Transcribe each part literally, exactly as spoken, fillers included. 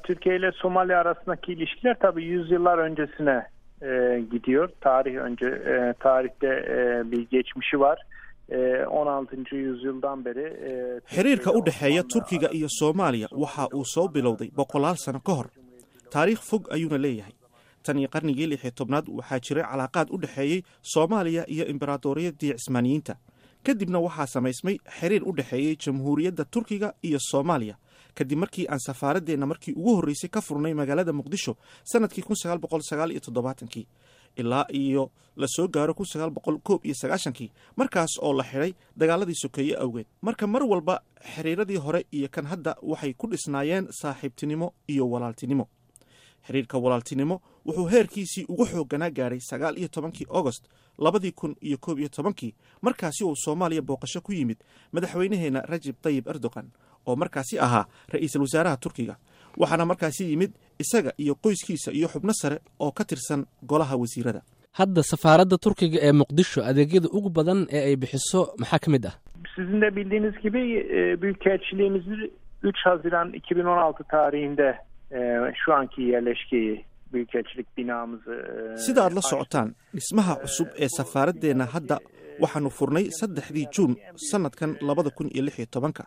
Türkiye ile Somali arasındaki ilişkiler tabii yüzyıllar öncesine e, gidiyor. Tarih önce e, tarihte e, bir geçmişi var. E, on altıncı yüzyıldan beri e, Xiriirka u dhexeeya Turkiga iyo Soomaaliya waxa uu soo bilowday boqolaal sano ka hor. Taariikh fog ayuuna leeyahay. Tan iyo qarnigii lix iyo tobnaad waxaa jiray calaaqaad u dhexeeyey Soomaaliya iyo Imberaadoriyadii Cismaaniyiinta. Kadibna waxaa samaysmay xiriir u dhexeeyey Jamhuuriyadda Turkiga iyo Soomaaliya kadib markii aan safaaradeenna markii ugu horreysay ka furnay magaalada Muqdisho sanadkii kun sagaal boqol sagaal iyo toddobaatankii ilaa iyo la soo gaaro kun sagaal boqol koob iyo sagaashankii, markaas oo la xidhay dagaaladii sokeeye awgeed. Marka mar walba xiriiradii hore iyo kan hadda waxay ku dhisnaayeen saaxiibtinimo iyo walaaltinimo. Xiriirka walaaltinimo wuxuu heerkiisii ugu xoogganaa gaaray sagaal iyo tobankii Agost labadii kun iyo koob iyo tobankii, markaasi uu Soomaaliya booqasho ku yimid madaxweynaheena Rajab Tayyib Erdogan oo markaasi ahaa ra'iisul wasaaraha Turkiga. Waxaana markaasi yimid isaga iyo qoyskiisa iyo xubno sare oo ka tirsan golaha wasiirada. Hadda safaaradda Turkiga ee Muqdisho adeegyada ugu badan ee ay bixiso maxaa ka mid ah? Sizin de bildiğiniz gibi e, büyükelçiliğimizi üç Haziran iki bin on altı tarihinde e, şu anki yerleşkeyi büyükelçilik binamızı, e, Sida aad la socotaan, dhismaha cusub ee safaaraddeena hadda waxaanu furnay saddexdii Juun sanadkan labada kun iyo lix iyo tobanka.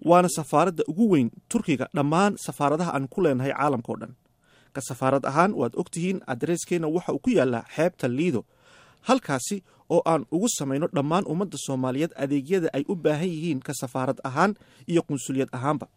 Waana safaaradda ugu weyn Turkiga dhammaan safaaradaha aan ku leenahay caalamka oo dhan. Ka safaarad ahaan waad ogtihiin adreeskeena waxa uu ku yaallaa xeebta Liido, halkaasi oo aan ugu samayno dhammaan ummadda Soomaaliyeed adeegyada ay u baahan yihiin ka safaarad ahaan iyo qunsuliyad ahaanba.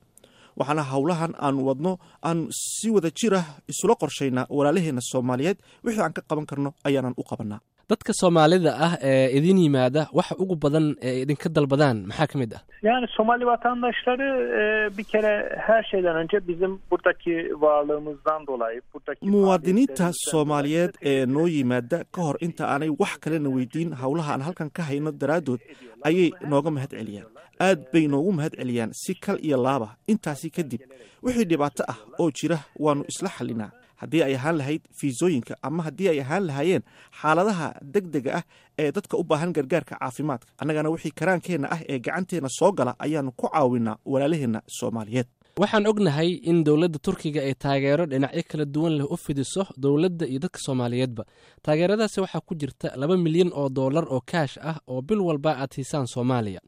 Waxaana howlahan aan wadno aan si wada jir ah isula qorshaynaa walaalaheena Soomaaliyeed, wixii aan ka qaban karno ayaanan u qabanaa. Dadka Soomaalida ah ee idin yimaada waxa ugu badan ee idinka dalbadaan maxaa ka mid ah? Yani Somali vatandaşları, e, bir kere her şeyden önce bizim buradaki varlığımızdan dolayı, buradaki Muwaadiniinta faaliyetlerimizden Soomaaliyeed dolayı ee noo yimaada ka hor inta aanay wax kalena weydiin howlaha aan halkan ka hayno daraaddood ayay nooga mahad celiyaan. Aad bay noogu mahad celiyaan si kal iyo laaba. Intaasi kadib wixii dhibaato ah oo jira waanu isla xalinaa, haddii ay ahaan lahayd fiisooyinka ama haddii ay ahaan lahaayeen xaaladaha degdega ah ee dadka u baahan gargaarka caafimaadka. Annagana wixii karaankeenna ah ee gacanteenna soo gala ayaanu ku caawinaa walaalaheenna Soomaaliyeed. Waxaan ognahay in dowladda Turkiga ay taageero dhinacyo kala duwan leh u fidiso dowladda iyo dadka Soomaaliyeedba. Taageeradaasi waxaa ku jirta laba milyan oo doolar oo kaash ah oo bil walba aad siisaan Soomaaliya.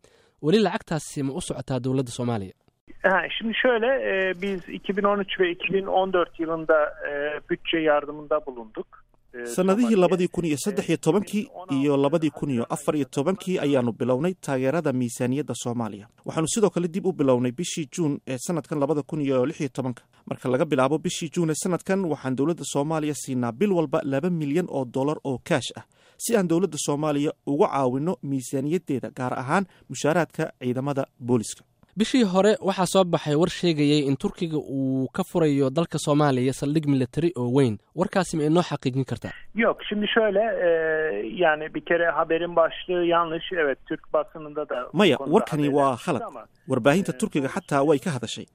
Weli lacagtaasi ma u socotaa dowladda Soomaaliya? Ha, şimdi şöyle, e, biz iki bin on üç ve iki bin on dört yılında, e, bütçe yardımında bulunduk. E, Sanadihii Somali'ye. labadii kun iyo saddex iyo tobankii iyo labadii kun iyo afar iyo tobankii ayaanu bilownay taageerada miisaaniyadda Soomaaliya. Waxaanu sidoo kale dib u bilownay bishii Juun ee sanadkan labada kun iyo lix iyo tobanka. Marka laga bilaabo bishii Juun ee sanadkan waxaan dowladda Soomaaliya siinaa bil walba laba milyan oo dollar oo kaash ah si aan dowladda Soomaaliya uga caawino miisaaniyaddeeda, gaar ahaan mushaaraadka ciidamada booliska. Bishii hore waxaa soo baxay war sheegayay in Turkiga uu ka furayo dalka Soomaaliya saldhig military oo weyn. Warkaasi ma inoo xaqiijin kartaa? Yok, şimdi şöyle, e, yani bir kere haberin başlığı yanlış. Evet, Türk basınında da bu Maya, konuda warkani haberler waa çıktı khalad. ama, Warbaahinta e, Turkiga xataa way ka hadashay.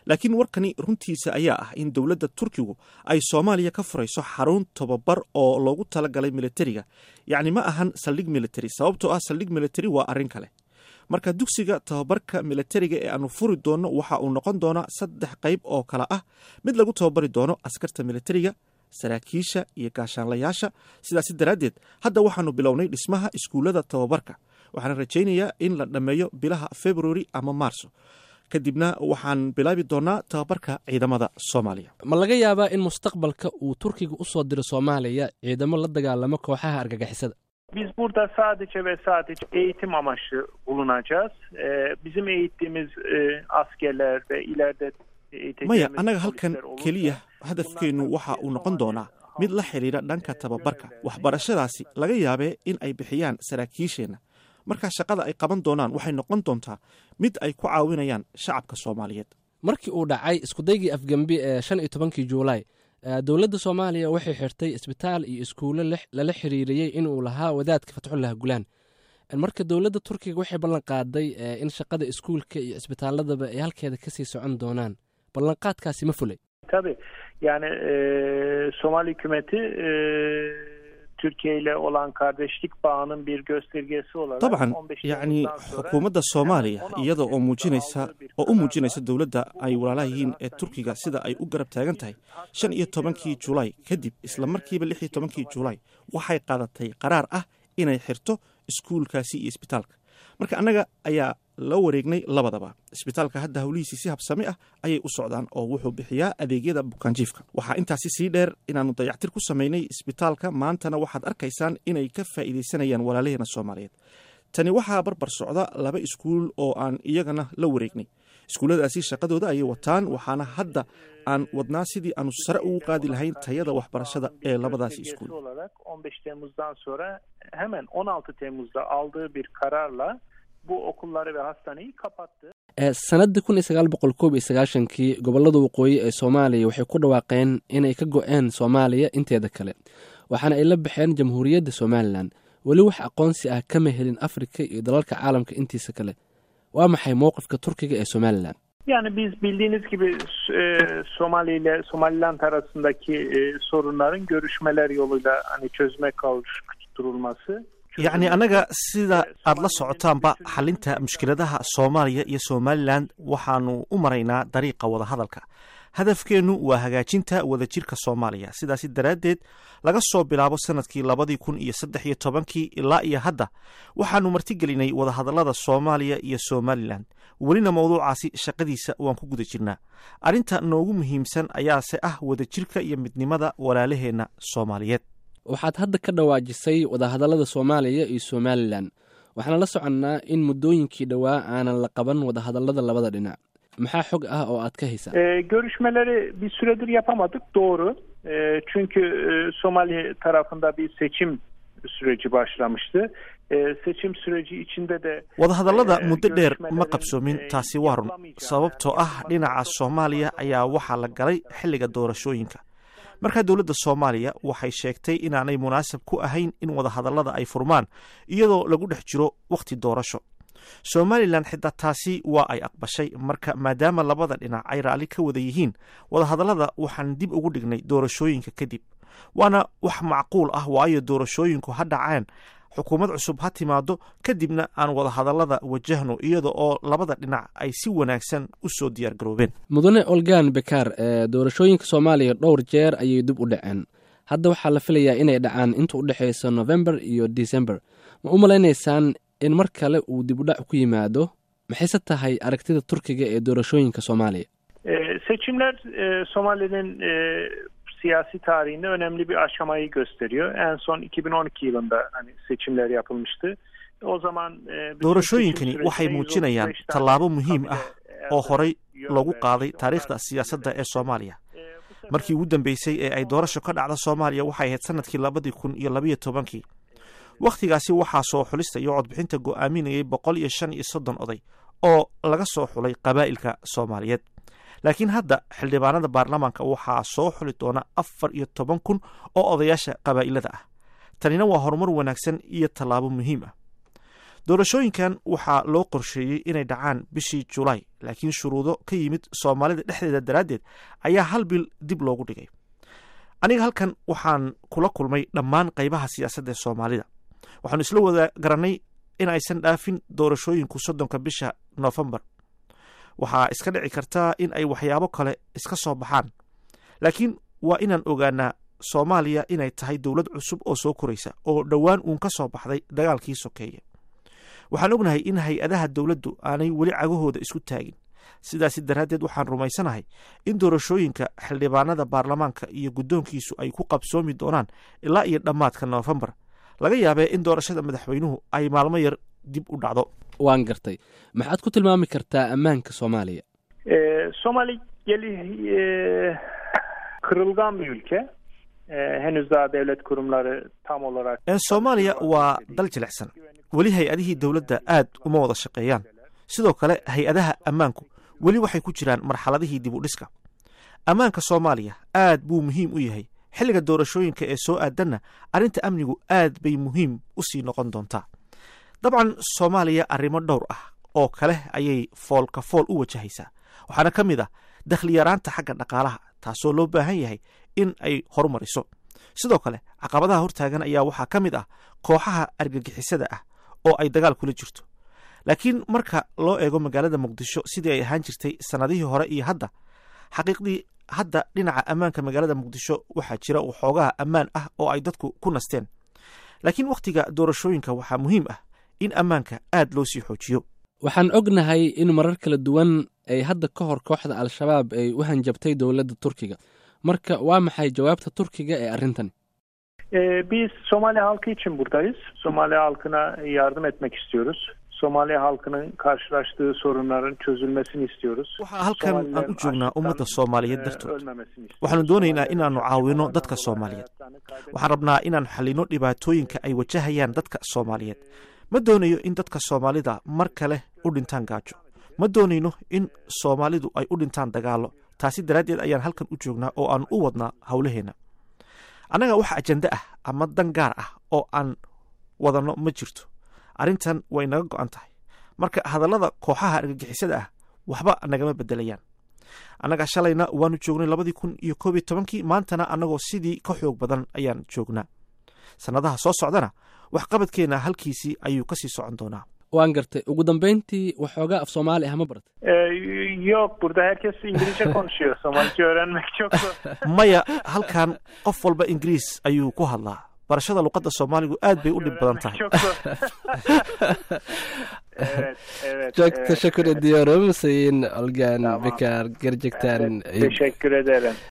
Laakiin warkani runtiisa ayaa ah in dowladda Turkigu ay Soomaaliya ka furayso xarun tababar oo loogu talagalay militariga. Yacni ma ahan saldhig military, sababtoo ah saldhig military waa arrin kale. Marka dugsiga tababarka militariga ee aanu furi doono waxa uu noqon doonaa saddex qayb oo kala ah: mid lagu tababari doono askarta militariga, saraakiisha iyo gaashaanlayaasha. Sidaasi daraaddeed hadda waxaanu bilownay dhismaha iskuullada tababarka. Waxaana rajaynayaa in la dhammeeyo bilaha February ama Maarso. Kadibna waxaan bilaabi doonaa tababarka ciidamada Soomaaliya. Ma laga yaabaa in mustaqbalka uu Turkiga u soo diro Soomaaliya ciidamo la dagaalamo kooxaha argagixisada? Biz burada sadece ve sadece eğitim amaçlı bulunacağız. Ee, bizim eğittiğimiz, e, askerler ve ileride eğiteceğimiz Maya, annaga halkan polisler olursa keliya hadafkeennu waxa uu noqon doonaa mid la xidhiidha dhanka tababarka. Waxbarashadaasi laga yaabee in ay bixiyaan saraakiisheenna. Marka shaqada ay qaban doonaan waxay noqon doontaa mid ay ku caawinayaan shacabka Soomaaliyeed. Markii uu dhacay iskudaygii afgembi ee shan iyo tobankii Juulaay, ee, dowladda Soomaaliya waxay xirtay isbitaal iyo iskuulo lix-, lala xiriiriyey inuu lahaa wadaadka Fatxullah Gulaan. Marka dowladda Turkiga waxay ballan qaaday, ee, in shaqada iskuulka iyo isbitaaladaba ay halkeeda kasii socon doonaan. Ballanqaadkaasi ma fulay? Tabii. Yani, e, Somali hükümeti, e, Türkiye ile olan kardeşlik bağının bir göstergesi olarak Dabcan, on beş yacni Temmuz'dan sonra xukuumadda Soomaaliya iyada oo muujinaysa oo u muujinaysa dowladda ay walaalaha yihiin ee Turkiga sida ay u garab taagan tahay, shan iyo tobankii Julaay kadib, isla markiiba lix iyo tobankii Julaay waxay qaadatay qaraar ah inay xirto iskuulkaasi iyo isbitaalka. Marka annaga ayaa la wareegnay labadaba. Isbitaalka hadda howlihiisii si habsami ah ayay u socdaan oo wuxuu bixiyaa adeegyada bukaanjiifka. Waxaa intaasi sii dheer inaannu dayactir ku samaynay isbitaalka. Maantana waxaad arkaysaan inay ka faa'iidaysanayaan walaalaheena Soomaaliyeed. Tani waxaa barbar socda laba iskuul oo aan iyagana la wareegnay. Iskuulladaasi shaqadooda ayay wataan, waxaana hadda aan wadnaa sidii aanu sare ugu qaadi lahayn tayada waxbarashada ee labadaasi iskuul. Göstergesi olarak on beş Temmuz'dan sonra hemen on altı Temmuz'da aldığı bir kararla bu okulları ve hastaneyi kapattı. Ee, sanadii kun iyo sagaal boqol koob iyo sagaashankii gobolada waqooyi ee Soomaaliya waxay ku dhawaaqeen inay ka go-een Soomaaliya inteeda kale, waxaana ay la baxeen Jamhuuriyadda Somaliland. Weli wax aqoonsi ah kama helin Afrika iyo dalalka caalamka intiisa kale. Waa maxay mowqifka Turkiga ee Somaliland? Yani biz bildiğiniz gibi e, Somali ile Somaliland arasındaki e, sorunların görüşmeler yoluyla hani çözüme kavuşturulması. Yacni annaga, sida aad la socotaanba, xalinta mushkiladaha Soomaaliya iyo Somaliland waxaanu u maraynaa dariiqa wadahadalka. Hadafkeennu waa hagaajinta wadajirka Soomaaliya. Sidaasi daraaddeed, laga soo bilaabo sanadkii labadii kun iyo saddex iyo tobankii ilaa iyo hadda waxaanu martigelinay wadahadallada Soomaaliya iyo Somaliland. Welina mowduucaasi shaqadiisa waan ku guda jirnaa. Arrinta noogu muhiimsan ayaase ah wadajirka iyo midnimada walaalaheenna Soomaaliyeed. Waxaad hadda ka dhawaajisay wadahadallada Soomaaliya iyo Somaliland. Waxaana la soconnaa in muddooyinkii dhowaa aanan la qaban wadahadallada labada dhinac. Maxaa xog ah oo aad ka haysaa? E, görüşmeleri bir süredir yapamadık, doğru. E, çünkü e, Somali tarafında bir seçim süreci başlamıştı. E, seçim süreci içinde de Wadahadallada muddo dheer ma qabsoomin, taasi waa run, sababtoo ah dhinaca Soomaaliya ayaa waxaa la galay xilliga doorashooyinka. Markaa dowladda Soomaaliya waxay sheegtay inaanay munaasab ku ahayn in wadahadallada ay furmaan iyadoo lagu dhex jiro wakhti doorasho. Somaliland xitaa taasi waa ay aqbashay. Marka maadaama labada dhinac ay raalli ka wada yihiin, wadahadallada waxaan dib ugu dhignay doorashooyinka kadib. Waana wax macquul ah, waayo doorashooyinku ha dhaceen, xukuumad cusub ha timaado, kadibna aan wadahadallada wajahno iyada oo labada dhinac ay si wanaagsan u soo diyaar garoobeen. Mudane Olgan Bekaar, ee doorashooyinka Soomaaliya dhowr jeer ayay dib u dhaceen. Hadda waxaa la filayaa inay dhacaan inta u dhexaysa November iyo December. Ma u malaynaysaan in mar kale uu dib u dhac ku yimaado? Maxayse tahay aragtida Turkiga ee doorashooyinka Soomaaliya? E, seçimler e, Somali'nin e, siyasi tarihinde önemli bir aşamayı gösteriyor. En son iki bin on iki yılında hani seçimler yapılmıştı. O zaman e, Doorashooyinkani waxay muujinayaan tallaabo muhiim ah oo horey loogu qaaday taariikhda siyaasadda ee Soomaaliya. Markii ugu dambeysay ee ay doorasho ka dhacda Soomaaliya waxay ahayd sanadkii labadii kun iyo labiyo tobankii. Wakhtigaasi waxaa soo xulista iyo codbixinta go'aaminayay boqol iyo shan iyo soddon oday oo laga soo xulay qabaa'ilka Soomaaliyeed. Laakiin hadda xildhibaanada baarlamaanka waxaa soo xuli doona afar iyo toban kun oo odayaasha qabaa'ilada ah. Tanina waa horumar wanaagsan iyo tallaabo muhiim ah. Doorashooyinkan waxaa loo qorsheeyey inay dhacaan bishii Julaay, laakiin shuruudo ka yimid Soomaalida dhexdeeda daraaddeed ayaa hal bil dib loogu dhigay. Aniga halkan waxaan kula kulmay dhammaan qaybaha siyaasadda ee Soomaalida. Waxaanu isla wada garannay in aysan dhaafin doorashooyinku soddonka bisha Noofembar. Waxaa iska dhici kartaa in ay waxyaabo kale iska soo baxaan, laakiin waa inaan ogaanaa Soomaaliya inay tahay dowlad cusub oo soo koraysa oo dhowaan uun ka soo baxday dagaalkii sokeeye. Waxaan ognahay in hay-adaha dowladdu aanay weli cagahooda isku taagin. Sidaasi daraaddeed, waxaan rumaysanahay in doorashooyinka xildhibaanada baarlamaanka iyo guddoonkiisu ay ku qabsoomi doonaan ilaa iyo dhammaadka Noofembar. Laga yaabee in doorashada madaxweynuhu ay maalmo yar dib u dhacdo. Waan gartay. Maxaad ku tilmaami kartaa ammaanka Soomaaliya? Somali geli e, kırılgan bir ülke. E, henüz daha devlet kurumları tam olarak Soomaaliya waa dal jilicsan. Weli hay-adihii dowladda aad uma wada shaqeeyaan. Sidoo kale hay-adaha ammaanku weli waxay ku jiraan marxaladihii dib u dhiska. Ammaanka Soomaaliya aad buu muhiim u yahay. Xilliga doorashooyinka ee soo aadanna arrinta amnigu aad bay muhiim u sii noqon doontaa. Dabcan, Soomaaliya arrimo dhowr ah oo kale ayay foolka fool u wajahaysaa. Waxaana ka mid ah dakhli yaraanta xagga dhaqaalaha, taasoo loo baahan yahay in ay horumariso. Sidoo kale caqabadaha hortaagan ayaa waxaa ka mid ah kooxaha argagixisada ah oo ay dagaal kula jirto. Laakiin marka loo eego magaalada Muqdisho sidii ay ahaan jirtay sannadihii hore iyo hadda, xaqiiqdii hadda dhinaca ammaanka magaalada Muqdisho waxaa jira waxoogaha ammaan ah oo ay dadku ku nasteen. Laakiin wakhtiga doorashooyinka waxaa muhiim ah in ammaanka aad loo sii xoojiyo. Waxaan ognahay in marar kala duwan ay hadda ka hor kooxda Al-Shabaab ay u hanjabtay dowladda Turkiga. Marka waa maxay jawaabta Turkiga ee arrintan? Ee, biz Somali halkı için buradayız. Somali halkına yardım etmek istiyoruz. Somali halkının karşılaştığı sorunların çözülmesini istiyoruz. Waxaa halkan aan u joognaa ummadda Soomaaliyeed dartood. Waxaanu doonaynaa inaannu caawino dadka Soomaaliyeed. Waxaan rabnaa inaan xallino dhibaatooyinka ay wajahayaan dadka Soomaaliyeed. Ma doonayo in dadka Soomaalida mar kale u dhintaan gaajo. Ma doonayno in Soomaalidu ay u dhintaan dagaallo. Taasi daraaddeed ayaan halkan u joognaa oo aan u wadnaa howlaheenna. Annaga wax ajende ah ama dan gaar ah oo aan wadanno ma jirto. Arrintan way naga go'an tahay. Marka hadallada kooxaha argagixisada ah waxba nagama bedelayaan. Annaga shalayna waanu joognay labadii kun iyo koob iyo tobankii, maantana annagoo sidii ka xoog badan ayaan joognaa. Sannadaha soo socdana waxqabadkeenna halkiisii ayuu kasii socon doonaa. Waan gartay. Ugu dambeyntii, waxoogaa af Soomaali ah ma baratay? Ee, yok, burada herkes İngilizce konuşuyor. Somalice öğrenmek çok zor. Maya, halkan qof walba Ingiriis ayuu ku hadlaa. Barashada luqadda Soomaaligu aad bay u dhib badan tahay. Çok zor. Evet, evet. Çok evet, teşekkür evet. ediyorum Sayın Olgan Tamam. Bekar. Gerçekten Teşekkür ederim.